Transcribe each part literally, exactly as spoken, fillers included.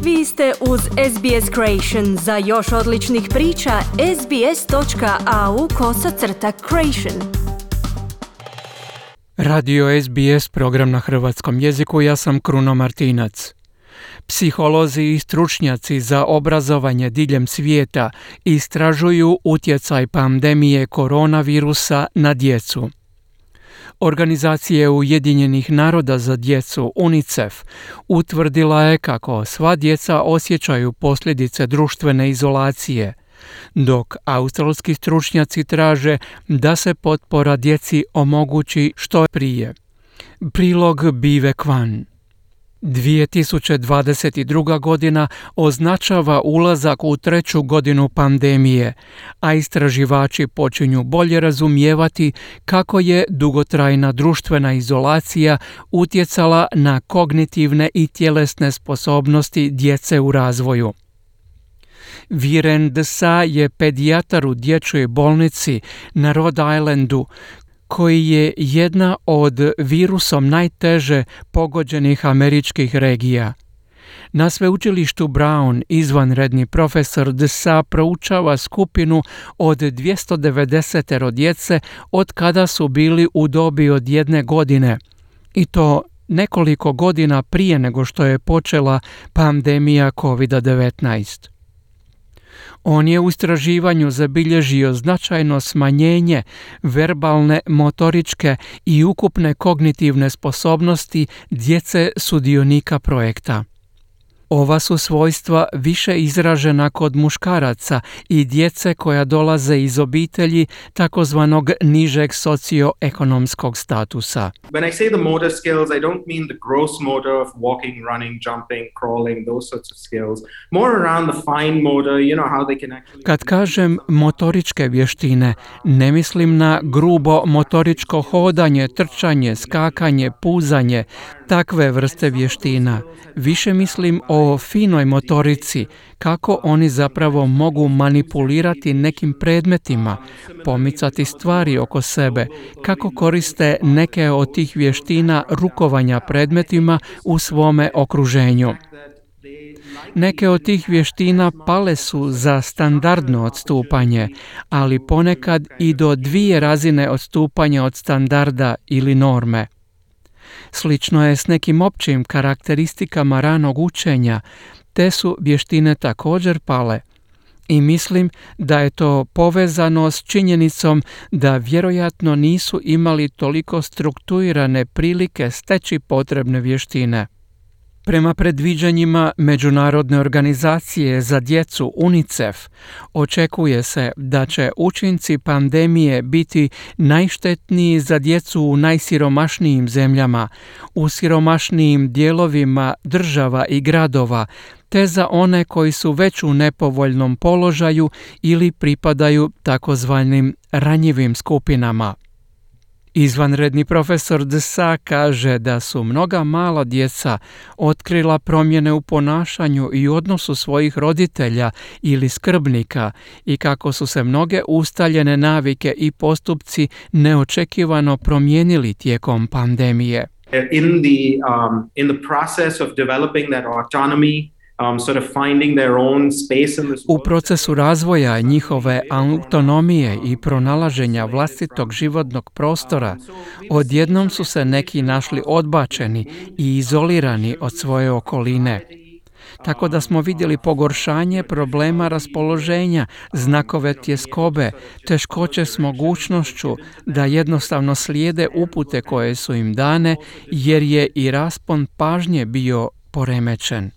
Vi ste uz S B S Creation. Za još odličnih priča, sbs.au kosacrta creation. Radio S B S, program na hrvatskom jeziku, ja sam Kruno Martinac. Psiholozi i stručnjaci za obrazovanje diljem svijeta istražuju utjecaj pandemije koronavirusa na djecu. Organizacija Ujedinjenih naroda za djecu UNICEF utvrdila je kako sva djeca osjećaju posljedice društvene izolacije, dok australski stručnjaci traže da se potpora djeci omogući što prije. Prilog Bive Kwan. dvije tisuće dvadeset druga. godina označava ulazak u treću godinu pandemije, a istraživači počinju bolje razumijevati kako je dugotrajna društvena izolacija utjecala na kognitivne i tjelesne sposobnosti djece u razvoju. Viren Desa je pedijatar u dječjoj bolnici na Rhode Islandu, koji je jedna od virusom najteže pogođenih američkih regija. Na sveučilištu Brown izvanredni profesor Desa proučava skupinu od dvjesto devedeset djece od kada su bili u dobi od jedne godine, i to nekoliko godina prije nego što je počela pandemija kovid devetnaest. On je u istraživanju zabilježio značajno smanjenje verbalne, motoričke i ukupne kognitivne sposobnosti djece sudionika projekta. Ova su svojstva više izražena kod muškaraca i djece koja dolaze iz obitelji takozvanog nižeg socioekonomskog statusa. When I say the motor skills, I don't mean the gross motor of walking, running, jumping, crawling, those sorts of skills. More around the fine motor, you know how they can actually... Kad kažem motoričke vještine, ne mislim na grubo motoričko hodanje, trčanje, skakanje, puzanje, takve vrste vještina. Više mislim o finoj motorici, kako oni zapravo mogu manipulirati nekim predmetima, pomicati stvari oko sebe, kako koriste neke od tih vještina rukovanja predmetima u svome okruženju. Neke od tih vještina pale su za standardno odstupanje, ali ponekad i do dvije razine odstupanja od standarda ili norme. Slično je s nekim općim karakteristikama ranog učenja, te su vještine također pale. I mislim da je to povezano s činjenicom da vjerojatno nisu imali toliko strukturirane prilike steći potrebne vještine. Prema predviđanjima Međunarodne organizacije za djecu UNICEF, očekuje se da će učinci pandemije biti najštetniji za djecu u najsiromašnijim zemljama, u siromašnijim dijelovima država i gradova, te za one koji su već u nepovoljnom položaju ili pripadaju takozvanim ranjivim skupinama. Izvanredni profesor Desa kaže da su mnoga mala djeca otkrila promjene u ponašanju i odnosu svojih roditelja ili skrbnika i kako su se mnoge ustaljene navike i postupci neočekivano promijenili tijekom pandemije. In the, um, in the process of developing that autonomy, Um, sort of finding their own space in this U procesu razvoja njihove autonomije i pronalaženja vlastitog životnog prostora, odjednom su se neki našli odbačeni i izolirani od svoje okoline. Tako da smo vidjeli pogoršanje problema raspoloženja, znakove tjeskobe, teškoće s mogućnošću da jednostavno slijede upute koje su im dane, jer je i raspon pažnje bio poremećen.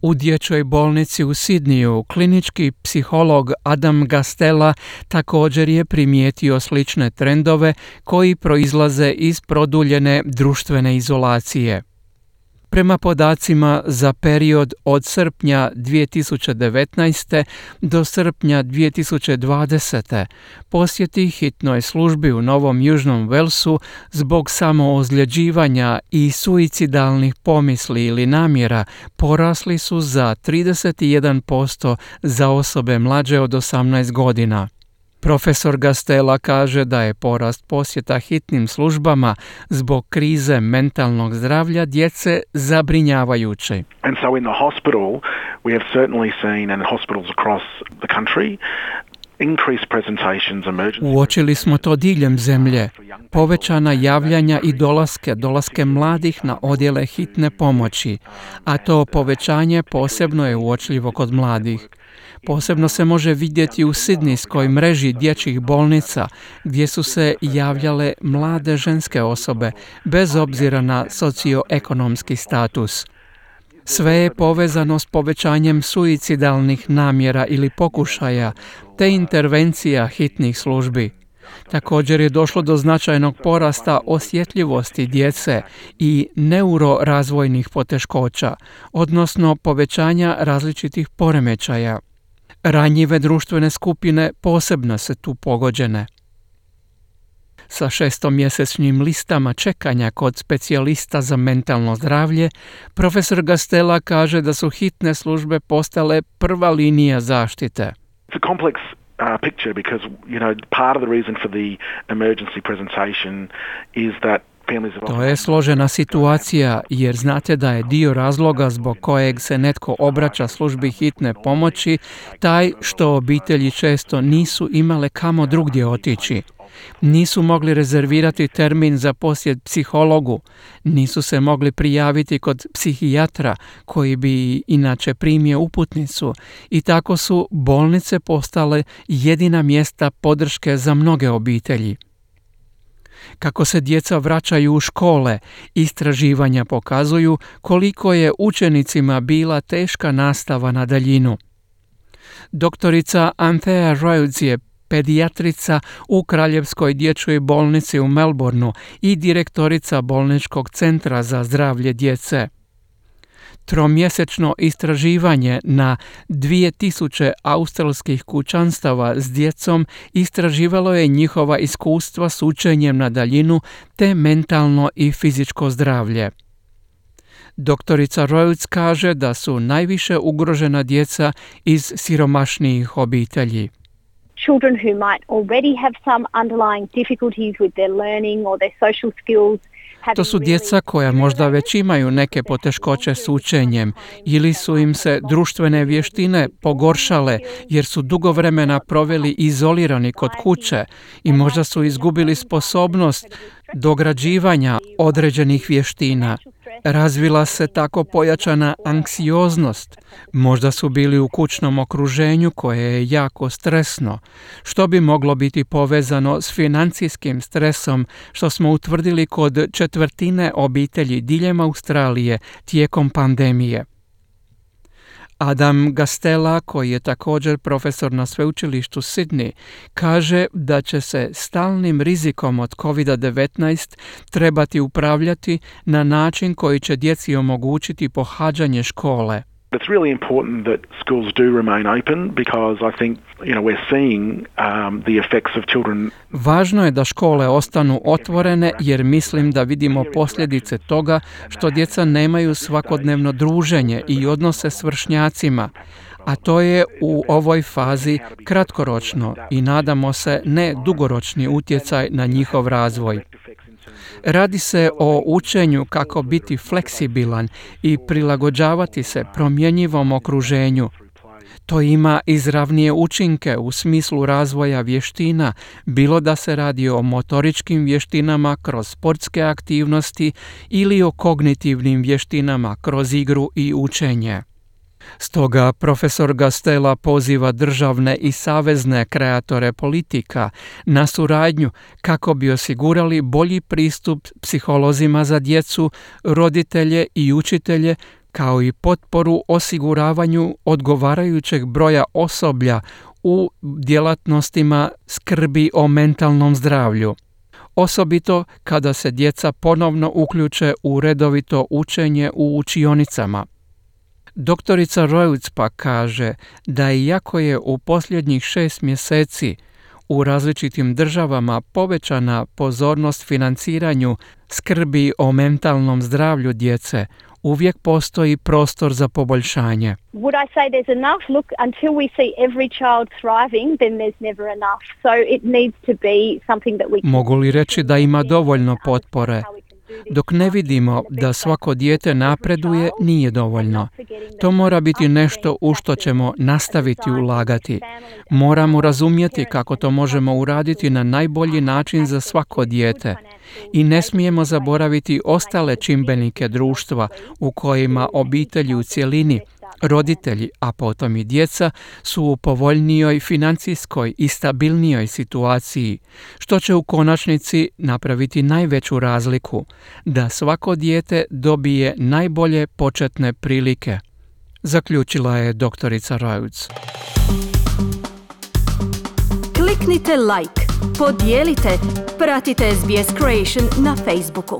U dječjoj bolnici u Sidniju klinički psiholog Adam Gastella također je primijetio slične trendove koji proizlaze iz produljene društvene izolacije. Prema podacima za period od srpnja dvije tisuće devetnaeste. do srpnja dvije tisuće dvadesete. posjeti hitnoj službi u Novom Južnom Velsu zbog samoozljeđivanja i suicidalnih pomisli ili namjera porasli su za trideset jedan posto za osobe mlađe od osamnaest godina. Profesor Gastela kaže da je porast posjeta hitnim službama zbog krize mentalnog zdravlja djece zabrinjavajući. And so in the hospital we have certainly seen, and hospitals across the country, increased presentations, emergency. Uočili smo to diljem zemlje, povećana javljanja i dolaske, dolaske mladih na odjele hitne pomoći, a to povećanje posebno je uočljivo kod mladih. Posebno se može vidjeti u sidnijskoj mreži dječjih bolnica gdje su se javljale mlade ženske osobe bez obzira na socioekonomski status. Sve je povezano s povećanjem suicidalnih namjera ili pokušaja te intervencija hitnih službi. Također je došlo do značajnog porasta osjetljivosti djece i neurorazvojnih poteškoća, odnosno povećanja različitih poremećaja. Ranjive društvene skupine posebno su tu pogođene. Sa šestomjesečnim listama čekanja kod specijalista za mentalno zdravlje, profesor Gastela kaže da su hitne službe postale prva linija zaštite. It's a complex uh, picture because, you know, part of the reason for the emergency presentation is that To je složena situacija jer znate da je dio razloga zbog kojeg se netko obraća službi hitne pomoći taj što obitelji često nisu imale kamo drugdje otići. Nisu mogli rezervirati termin za posjet psihologu, nisu se mogli prijaviti kod psihijatra koji bi inače primio uputnicu i tako su bolnice postale jedina mjesta podrške za mnoge obitelji. Kako se djeca vraćaju u škole, istraživanja pokazuju koliko je učenicima bila teška nastava na daljinu. Doktorica Anthea Rhodes je pedijatrica u Kraljevskoj dječjoj bolnici u Melbourneu i direktorica bolničkog centra za zdravlje djece. Tromjesečno istraživanje na dvije tisuće australskih kućanstava s djecom istraživalo je njihova iskustva s učenjem na daljinu te mentalno i fizičko zdravlje. Doktorica Rhodes kaže da su najviše ugrožena djeca iz siromašnijih obitelji. Children who might already have some underlying difficulties with their learning or their social skills. To su djeca koja možda već imaju neke poteškoće s učenjem ili su im se društvene vještine pogoršale jer su dugo vremena proveli izolirani kod kuće i možda su izgubili sposobnost dograđivanja određenih vještina. Razvila se tako pojačana anksioznost. Možda su bili u kućnom okruženju koje je jako stresno, što bi moglo biti povezano s financijskim stresom, što smo utvrdili kod četvrtine obitelji diljem Australije tijekom pandemije. Adam Gastela, koji je također profesor na sveučilištu Sydney, kaže da će se stalnim rizikom od kovid devetnaest trebati upravljati na način koji će djeci omogućiti pohađanje škole. It's really important that schools do remain open because I think, you know, we're seeing um, the effects of children. Važno je da škole ostanu otvorene jer mislim da vidimo posljedice toga što djeca nemaju svakodnevno druženje i odnose s vršnjacima, a to je u ovoj fazi kratkoročno i nadamo se ne dugoročni utjecaj na njihov razvoj. Radi se o učenju kako biti fleksibilan i prilagođavati se promjenjivom okruženju. To ima izravnije učinke u smislu razvoja vještina, bilo da se radi o motoričkim vještinama kroz sportske aktivnosti ili o kognitivnim vještinama kroz igru i učenje. Stoga profesor Gastela poziva državne i savezne kreatore politika na suradnju kako bi osigurali bolji pristup psiholozima za djecu, roditelje i učitelje, kao i potporu osiguravanju odgovarajućeg broja osoblja u djelatnostima skrbi o mentalnom zdravlju. Osobito kada se djeca ponovno uključe u redovito učenje u učionicama. Doktorica Rhodes pa kaže da iako je u posljednjih šest mjeseci u različitim državama povećana pozornost financiranju skrbi o mentalnom zdravlju djece, uvijek postoji prostor za poboljšanje. Would I say there's enough? Look, until we see every child thriving, then there's never enough. So it needs to be something that we can... Mogu li reći da ima dovoljno potpore? Dok ne vidimo da svako dijete napreduje, nije dovoljno. To mora biti nešto u što ćemo nastaviti ulagati. Moramo razumjeti kako to možemo uraditi na najbolji način za svako dijete. I ne smijemo zaboraviti ostale čimbenike društva u kojima obitelji u cjelini, roditelji, a potom i djeca, su u povoljnijoj financijskoj i stabilnijoj situaciji, što će u konačnici napraviti najveću razliku, da svako dijete dobije najbolje početne prilike, zaključila je doktorica Rhodes. Kliknite like, podijelite, pratite S B S Creation na Facebooku.